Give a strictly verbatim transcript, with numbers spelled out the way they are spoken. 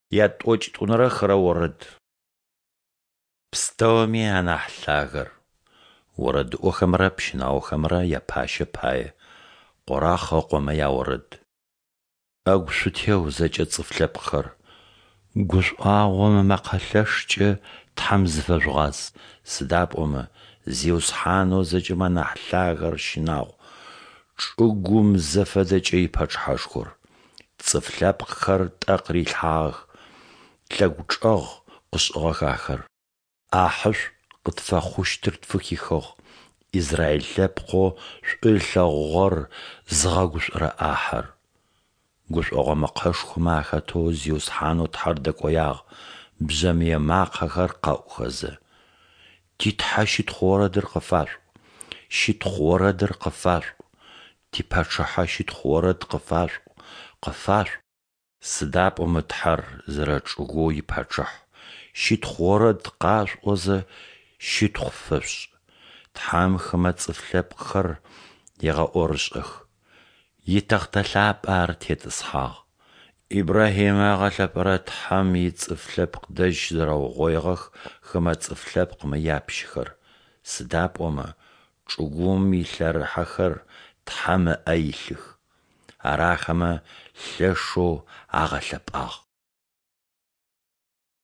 Ятӏокӏитӏунэрэ хырэ орэд. Пстэуми анахь Лъагэр. Орэдыӏохэмрэ пщынаохэмрэ япащэ пае. Къорахъ ыкъомэ яорэд. Ӏэгу шъутеу, зэкӏэ цӏыф лъэпкъхэр, гушӏуагъом ымэкъэ лъэшкӏэ Тхьэм зыфэжъугъаз, сыда пӏомэ Зиусхьанэу зэкӏэмэ анахь Лъагэр щынагъу, чӏыгум зэфэдэкӏэ и Пачъыхьэшхор. Цӏыф лъэпкъхэр тӏэ къырилъхьагъэх, тлъэгучӏэгъ къышӏыгъэх ахэр. ӏахьышӏу къытфэхъущтыр тфыхихыгъ, Израиль лъэпкъэу шӏу ылъэгъугъэр зыгъэгушӏорэ ӏахьэр. Гушӏогъо мэкъэшхомэ ахэтэу Зиусхьанэу Тхьэр дэкӏоягъ, бжъэмые макъэхэр къэӏухэзэ. Ти Тхьэ щытхъу орэдыр къыфашъуӏу, щытхъу орэдыр къыфашъуӏу, типачъыхьэ щытхъу орэд къыфашъуӏу, къыфашъуӏу. Сыда пӏомэ Тхьэр зэрэчӏыгоу ипачъыхь, щытхъу орэд къашъуӏозэ, щытхъу фэшъушӏ. Тхьэм хымэ цӏыф лъэпкъхэр егъэӏорышӏэх, итэхътэ лъапӏэ Ар тетӏысхьагъ. Ибрахьимэ ыгъэлъэпӏэрэ Тхьэм ицӏыф лъэпкъ дэжь щызэрэугъоигъэх хымэ цӏыф лъэпкъмэ япщыхэр, сыда пӏомэ чӏыгум илъэрыхьэхэр Тхьэм ыӏэ илъых, Ар ахэмэ лъэшэу агъэлъэпӏагъ.